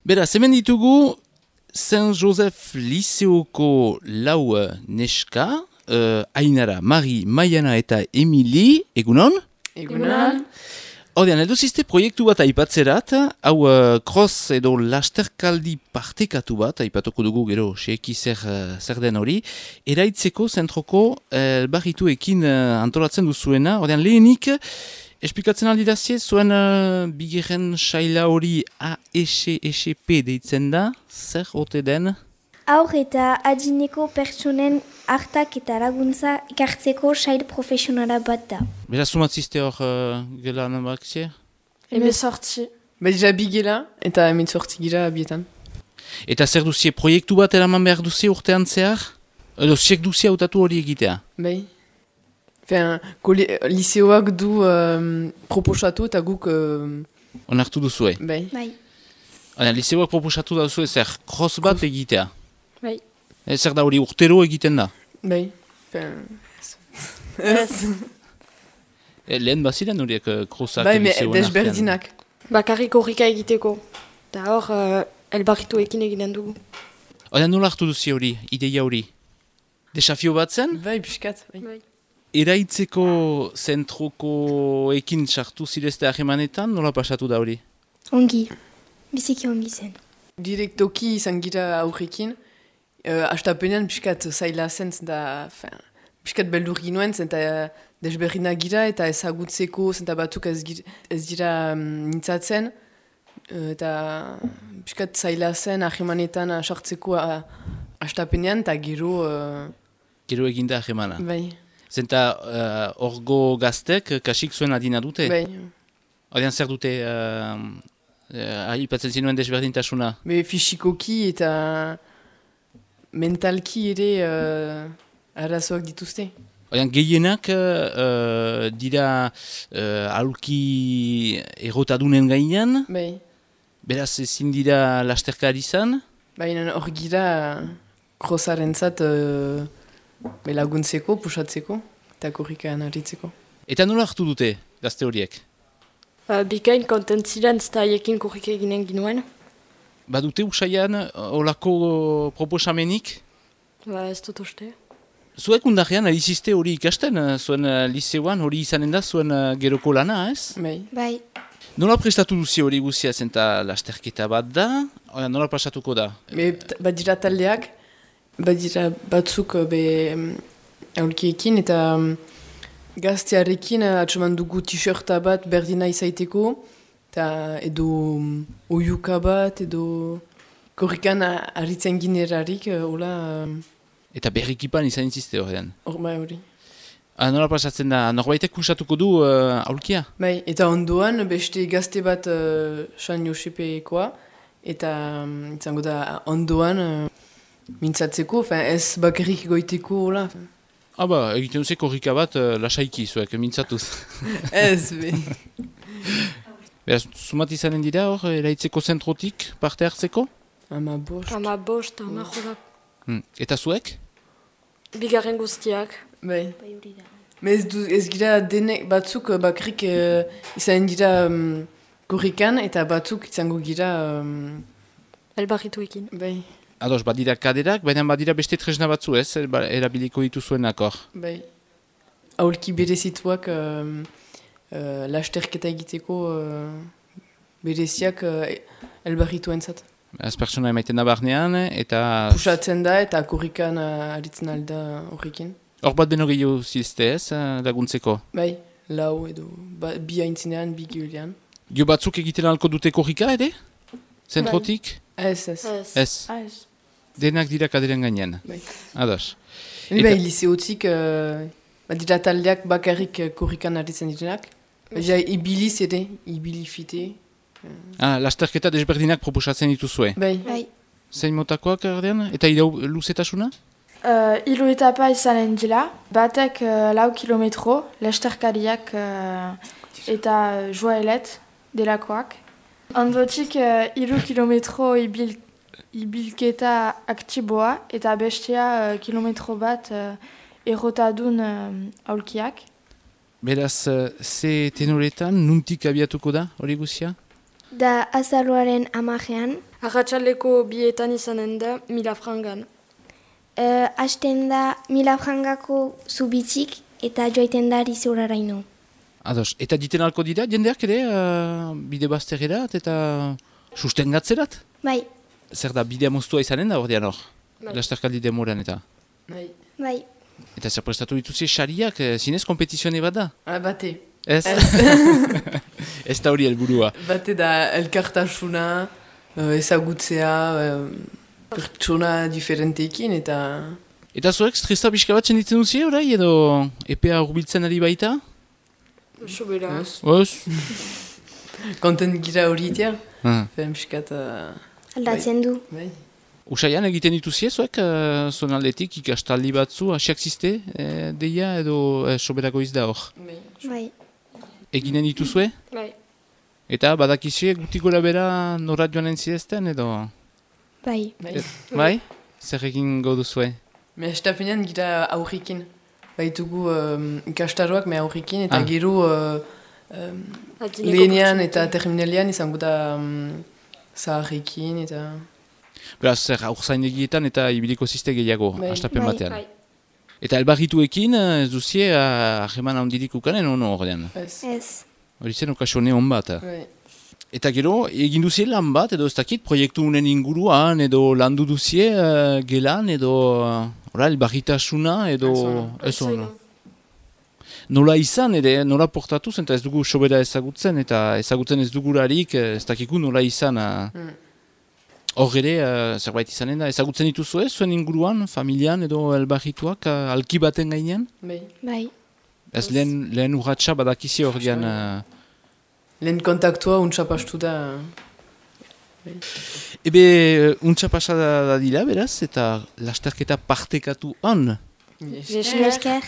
Beraz, hemen ditugu Saint-Joseph Liceoko lau neska, Ainara, Mari, Maiana eta Emili, egunon? Egunon. Ordean, edo ziste proiektu bat aipatzerat, hau cross edo lasterkaldi partekatu bat, aipatuko dugu gero, seeki zer den hori, eraitzeko zentroko elbarrituekin antolatzen duzuena, ordean lehenik, esplikatzen aldi dazie, zuen bigarren saila hori AESP deitzen da, zer ote den? Haur eta adineko pertsonen hartak eta laguntza ikartzeko sail profesionala bat da. Beraz, sumatziste hor gelan bakzie? Hemezortzi. Badira bi gela eta hemezortzi gira bietan. Eta zer duzie, proiektu bat eraman behar duzie urtean zehar? Edo ziek duzie hautatu hori egitea? Bai. Liceoak du proposatu eta guk... Onartu duzue? Bai. Liceoak proposatu da duzue zer cross bat egitea? Bai. Zer da hori urtero egiten da? Bai. Lehen baziren horiek crossak? Bai, desberdinak. Bakarrik horrika egiteko. Eta hor, elbarrituekin egiten dugu. Oda nola hartu duzi hori, ideia hori? Desafio bat zen? Bai, piskat. Bai. Eraitzeko zentrokoekin sartu zirezte ahemanetan, nola pasatu da hori? Ongi. Biziki ongi zen. Direktoki izan gira aurrekin. Astapenean piskat zaila zen, piskat beldur ginoen, eta desberdinak gira, eta ezagutzeko, eta batzuk ez dira nintzatzen. Eta piskat zaila zen ahemanetan sartzeko astapenean, eta gero... Gero eginda ahemana? Bai. Zenta orgo gaztek kasik zuen adina dute? Bai. Odean zer dute aipatzen zinuen desberdintasuna? Fisikoki eta mentalki ere arazoak dituzte. Odean gehienak dira aulki errotadunen gainean? Bai. Beraz ezin dira lasterkari izan? Baina hor gira krosarentzat laguntzeko, pusatzeko, eta korrikaan harritzeko. Eta nola hartu dute gazte horiek? Bikain kontent ziren eta haiekin korrika eginen ginuen. Badute usaian olako proposamenik? Ez dut uste. Zuek undarrean aliziste hori ikasten, zuen liceoan hori izanen da zuen geroko lana, ez? Bai. Nola prestatu duzi hori guzia zenta lasterketa bat da? Nola pasatuko da? Badira taldeak, badira batzuk aulkiekin eta gaztearekin atxoman dugu t-shirta bat berdina izaiteko edo oiuka bat edo korrikan harritzen ginerarik hola... Eta berrikipan izan inziste horrean? Hori. Nola pasatzen da, norbaitek kusatuko du aulkia? Bai, eta ondoan beste gazte bat San Josepekoa eta izango da ondoan mintzatzeko, ez bakarrik goiteko hola. Egiten duze korrika bat lasaiki zuek, mintzatuz. Ez, be. Beraz, sumat izanen dira hor, eraitzeko zentrotik parte hartzeko? 15. 15. Eta zuek? Bigarren guztiak. Bai. Ez gira denek batzuk bakarrik izan dira korrikan eta batzuk izango gira... Elbarrituekin. Bai. Ados, badira kaderak, baina badira beste tresna batzu ez, erabiliko dituzuenak hor. Bai. Aulki berezituak lasterketa egiteko bereziak elbarrituentzat. Az pertsona emaiten da barnean, eta... Pusatzen da eta korrikan aritzen alda horrekin. Hor bat beno gehiago zizte ez, laguntzeko? Bai, lau edo, bi haintzinean, bi giulean. Gio batzuk egiten alko dute korrika ere? Zentrotik? Ez. Denak dira kaderen gainean? Bai. Ados. Bai, liceotik, dira taldeak bakarrik korrikan aritzen direnak. Ibiliz ere, ibilifite. Lasterketa desberdinak proposatzen dituzue? Bai. Zein motakoak erdean? Eta irau luzetasuna? Hiru etapa izanen dira. Batek 4 kilometro, lasterkariak eta joaelet delakoak. Ondotik 3 kilometro ibilketa aktiboa eta bestea kilometro bat errotadun aulkiak. Beraz, ze tenoretan, nuntik abiatuko da hori guzia? Da azaroaren 10ean, Arratxaleko bietan izanen da 1000 frangan. Hasten da 1000 frangako zubitzik eta joaiten da Rizuraraino. Ados, eta diten alko dira, jendeak ere, bide bazterrerat eta sustengatzerat? Bai, Zer da, bidea moztua izanen da ordean hor? Bai. Lasterkaldi demoran eta. Bai. bai. Eta zer prestatu dituzi sariak, zinez kompetizione bat da? Bate. Ez? Ez da hori helburua. Bate da elkartasuna, ezagutzea, pertsona diferenteekin eta... Eta zuek, stresa pixka bat senditzen duzie orai, edo epea urbiltzen ari baita? Sobera. Oz? Kontent gira hori itea. Ah. Fen piskat... Aldatzen du. Bai. Usaian egiten dituzie zuek, zuen aldetik ikastaldi batzu, hasiak ziste, deia edo soberako izda hor. Bai. Bai, Eginen dituzue? Bai. Eta badakizie guti gora bera norat joanen zidezten edo? bai. Bai. Bai? Zer egin goduzue? Me estapenean gira aurrikin. Baitugu ikastaroak me aurrikin eta Ah. gero Adineko lehenean pertsonekin. eta terminalian izango da zaharrekin eta... Beraz, zer aurzaindegietan eta ibiliko ziste gehiago, Bai. astapen Bai. batean. Bai. Eta elbarrituekin ez duzie ahreman handirik ukanen ono ordean. Ez. Ez. Hori zen okasione hon bat. Bai. Eta gero, egin duzie lan bat, edo ez dakit, proiektu unen inguruan, edo landu duzie gelan, edo elbarritasuna, edo ez ono. Nola izan, ere, nola portatuz, eta ez dugu sobera ezagutzen, eta ezagutzen ez dugularik, ez dakiku nola izan. Hor ere, zerbait izanen da, ezagutzen dituzue, zuen inguruan, familian, edo elbarrituak, alki baten gainean? Bai. Bai. Ez lehen urratxa badakizi ordean... Lehen kontaktua untxapastu da... Ebe, untxa pasada da dira, beraz, eta lasterketa partekatu han. Yes. Mila esker.